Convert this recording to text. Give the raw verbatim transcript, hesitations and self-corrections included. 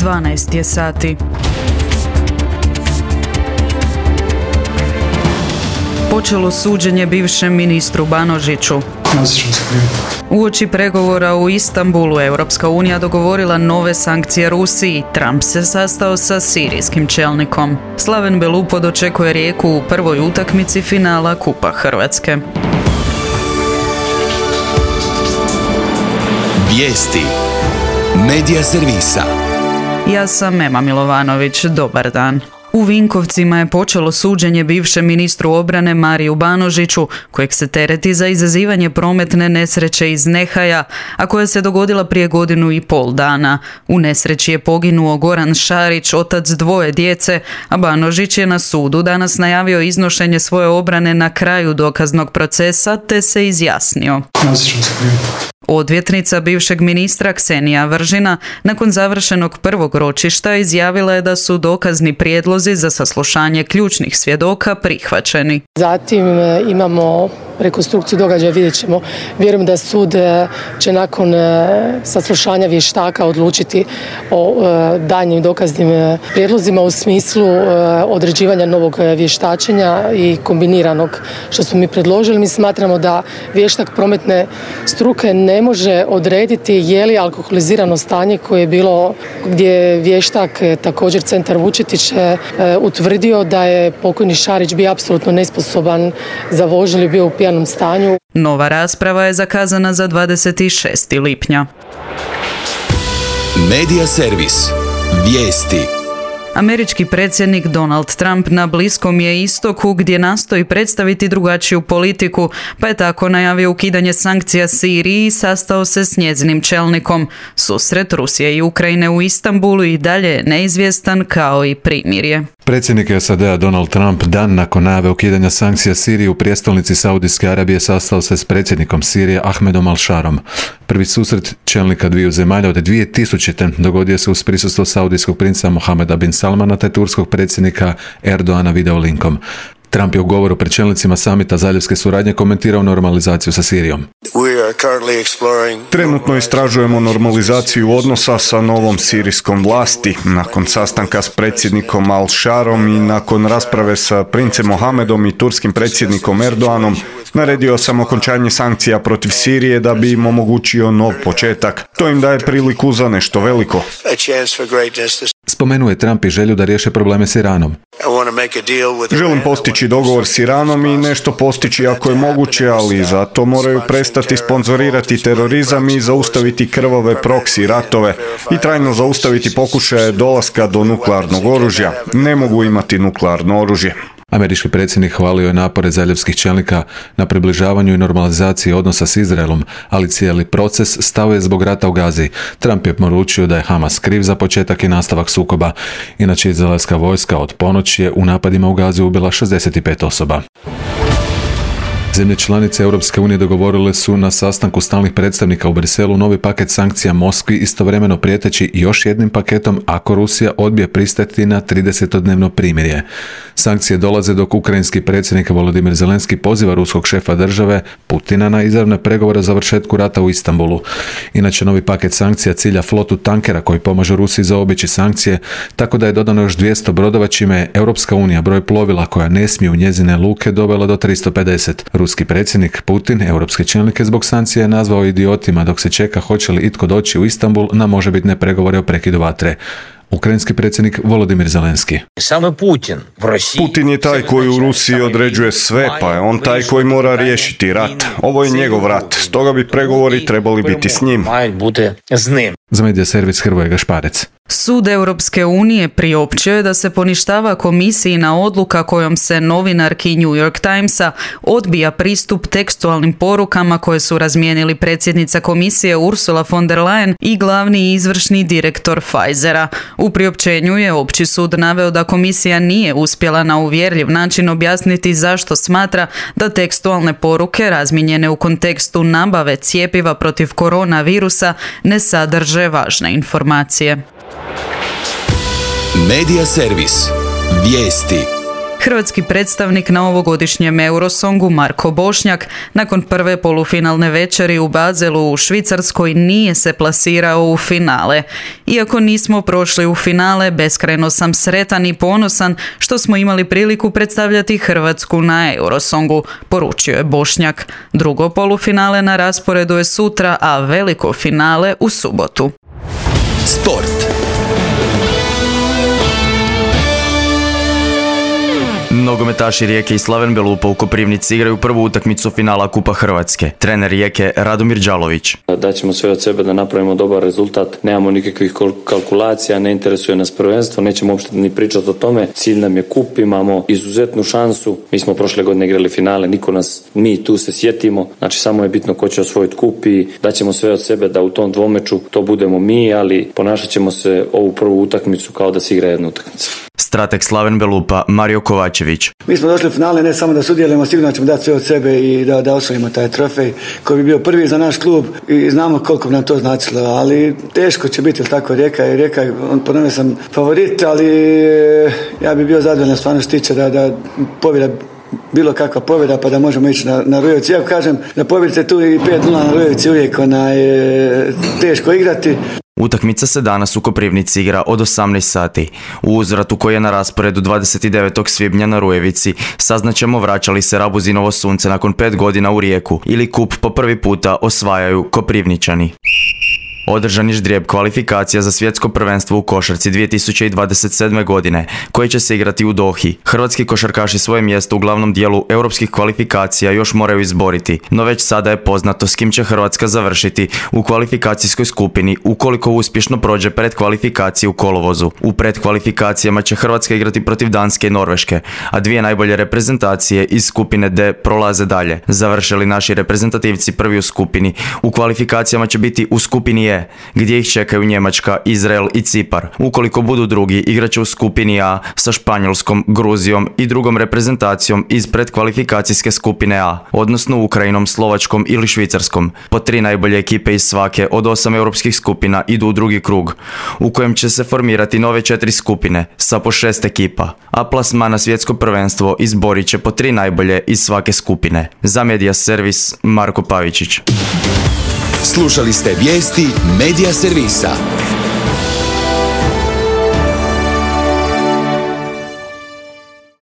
dvanaest je sati. Počelo suđenje bivšem ministru Banožiću. Uoči pregovora u Istanbulu, Europska unija dogovorila nove sankcije Rusiji. Trump se sastao sa sirijskim čelnikom. Slaven Belupo dočekuje Rijeku u prvoj utakmici finala Kupa Hrvatske. Vijesti Medija servisa. Ja sam Ema Milovanović, dobar dan. U Vinkovcima je počelo suđenje bivšem ministru obrane Mariju Banožiću, kojeg se tereti za izazivanje prometne nesreće iz nehaja, a koja se dogodila prije godinu i pol dana. U nesreći je poginuo Goran Šarić, otac dvoje djece, a Banožić je na sudu danas najavio iznošenje svoje obrane na kraju dokaznog procesa, te se izjasnio. Odvjetnica bivšeg ministra Ksenija Vržina nakon završenog prvog ročišta izjavila je da su dokazni prijedlozi za saslušanje ključnih svjedoka prihvaćeni. Zatim imamo rekonstrukciju događaja, vidjet ćemo. Vjerujem da sud će nakon saslušanja vještaka odlučiti o daljnjim dokaznim prijedlozima u smislu određivanja novog vještačenja i kombiniranog što smo mi predložili. Mi smatramo da vještak prometne struke ne može odrediti je li alkoholizirano stanje koje je bilo gdje je vještak također Centar Vučetić utvrdio da je pokojni Šarić bio apsolutno nesposoban za vožnju ili bio u pijanom stanju. Nova rasprava je zakazana za dvadeset šestog lipnja. Medija servis. Vijesti. Američki predsjednik Donald Trump na Bliskom je istoku gdje nastoji predstaviti drugačiju politiku, pa je tako najavio ukidanje sankcija Siriji i sastao se s njezinim čelnikom. Susret Rusije i Ukrajine u Istanbulu i dalje je neizvjestan kao i primirje. Predsjednik S A D-a Donald Trump dan nakon najave ukidanja sankcija Siriji u prijestolnici Saudijske Arabije sastao se s predsjednikom Sirije Ahmedom Al-Sharom. Prvi susret čelnika dviju zemalja od dvije tisućite. dogodio se uz prisustvo saudijskog princa Mohameda bin Salmana te turskog predsjednika Erdoana videolinkom. Trump je u govoru pred čelnicima samita zaljevske suradnje komentirao normalizaciju sa Sirijom. Trenutno istražujemo normalizaciju odnosa sa novom sirijskom vlasti. Nakon sastanka s predsjednikom Al-Sharom i nakon rasprave sa princem Mohamedom i turskim predsjednikom Erdoanom, naredio sam okončanje sankcija protiv Sirije da bi im omogućio nov početak. To im daje priliku za nešto veliko. Spomenuo je Trump i želju da riješe probleme s Iranom. Želim postići dogovor s Iranom i nešto postići ako je moguće, ali zato moraju prestati sponzorirati terorizam i zaustaviti krvave proksi ratove i trajno zaustaviti pokušaje dolaska do nuklearnog oružja. Ne mogu imati nuklearno oružje. Američki predsjednik hvalio je napore zaljevskih čelnika na približavanju i normalizaciji odnosa s Izraelom, ali cijeli proces stao je zbog rata u Gazi. Trump je poručio da je Hamas kriv za početak i nastavak sukoba. Inače, izraelska vojska od ponoći je u napadima u Gazi ubila šezdeset pet osoba. Zemlje članice Europske unije dogovorile su na sastanku stalnih predstavnika u Briselu novi paket sankcija Moskvi, istovremeno prijeteći još jednim paketom ako Rusija odbije pristati na tridesetodnevno primirje. Sankcije dolaze dok ukrajinski predsjednik Volodimir Zelenski poziva ruskog šefa države Putina na izravne pregovore o završetku rata u Istanbulu. Inače, novi paket sankcija cilja flotu tankera koji pomažu Rusiji zaobići sankcije, tako da je dodano još dvjesto brodova čime je Europska unija broj plovila koja ne smije u njezine luke dovela do tristo pedeset. Ruski predsjednik Putin europske čelnike zbog sankcija je nazvao idiotima dok se čeka hoće li itko doći u Istanbul na možebitne pregovore o prekidu vatre. Ukrajinski predsjednik Volodimir Zelenski. Putin je taj koji u Rusiji određuje sve, pa je on taj koji mora riješiti rat. Ovo je njegov rat, stoga bi pregovori trebali biti s njim. Za medija servis Hrvoje Gašparec. Sud Europske unije priopćio je da se poništava komisijina odluka kojom se novinarki New York Timesa odbija pristup tekstualnim porukama koje su razmijenili predsjednica komisije Ursula von der Leyen i glavni izvršni direktor Pfizera. U priopćenju je opći sud naveo da komisija nije uspjela na uvjerljiv način objasniti zašto smatra da tekstualne poruke razmijenjene u kontekstu nabave cjepiva protiv koronavirusa ne sadrže važne informacije. Medija servis. Vijesti. Hrvatski predstavnik na ovogodišnjem Eurosongu Marko Bošnjak nakon prve polufinalne večeri u Baselu u Švicarskoj nije se plasirao u finale. Iako nismo prošli u finale, beskrajno sam sretan i ponosan što smo imali priliku predstavljati Hrvatsku na Eurosongu, poručio je Bošnjak. Drugo polufinale na rasporedu je sutra, a veliko finale u subotu. Sport. Nogometaši Rijeke i Slaven Belupa u Koprivnici igraju prvu utakmicu finala Kupa Hrvatske. Trener Rijeke Radomir Đalović. Daćemo sve od sebe da napravimo dobar rezultat. Nemamo nikakvih kalkulacija, ne interesuje nas prvenstvo, nećemo uopšte ni pričati o tome. Cilj nam je kup, imamo izuzetnu šansu. Mi smo prošle godine igrali finale, niko nas, mi tu se sjetimo. Znači samo je bitno ko će osvojiti kup i daćemo sve od sebe da u tom dvomeču to budemo mi, ali ponašat ćemo se ovu prvu utakmicu kao da se igra jedna utakmica. Strateg Slaven Belupa Mario Kovačević. Mi smo došli u finale ne samo da sudjelujemo, sigurno ćemo dati sve od sebe i da, da osvojimo taj trofej koji bi bio prvi za naš klub i znamo koliko bi nam to značilo, ali teško će biti, tako Rijeka i Rijeka, on ponovno sam favorit, ali ja bi bio zadovoljan stvarno što tiče da, da pobjeda bilo kakva pobjeda pa da možemo ići na, na Rujevici. Ja kažem da pobjedite tu i pet nula na Rujevici uvijek onaj, teško igrati. Utakmica se danas u Koprivnici igra od osamnaest sati. U uzvratu koji je na rasporedu dvadeset devetog svibnja na Rujevici saznaćemo vraća li se Rabuzinovo sunce nakon pet godina u Rijeku ili kup po prvi puta osvajaju Koprivničani. Održan je ždrijeb kvalifikacija za svjetsko prvenstvo u košarci dvije tisuće dvadeset sedme. godine, koje će se igrati u Dohi. Hrvatski košarkaši svoje mjesto u glavnom dijelu europskih kvalifikacija još moraju izboriti, no već sada je poznato s kim će Hrvatska završiti u kvalifikacijskoj skupini ukoliko uspješno prođe predkvalifikacije u kolovozu. U predkvalifikacijama će Hrvatska igrati protiv Danske i Norveške, a dvije najbolje reprezentacije iz skupine D prolaze dalje. Završili naši reprezentativci prvi u skupini, u kvalifikacijama će biti u skupini E, gdje ih čekaju Njemačka, Izrael i Cipar. Ukoliko budu drugi, igraće u skupini A sa Španjolskom, Gruzijom i drugom reprezentacijom iz predkvalifikacijske skupine A, odnosno Ukrajinom, Slovačkom ili Švicarskom. Po tri najbolje ekipe iz svake od osam europskih skupina idu u drugi krug, u kojem će se formirati nove četiri skupine sa po šest ekipa, a plasman na svjetsko prvenstvo izborit će po tri najbolje iz svake skupine. Za Media Servis Marko Pavičić. Slušali ste vijesti Media Servisa.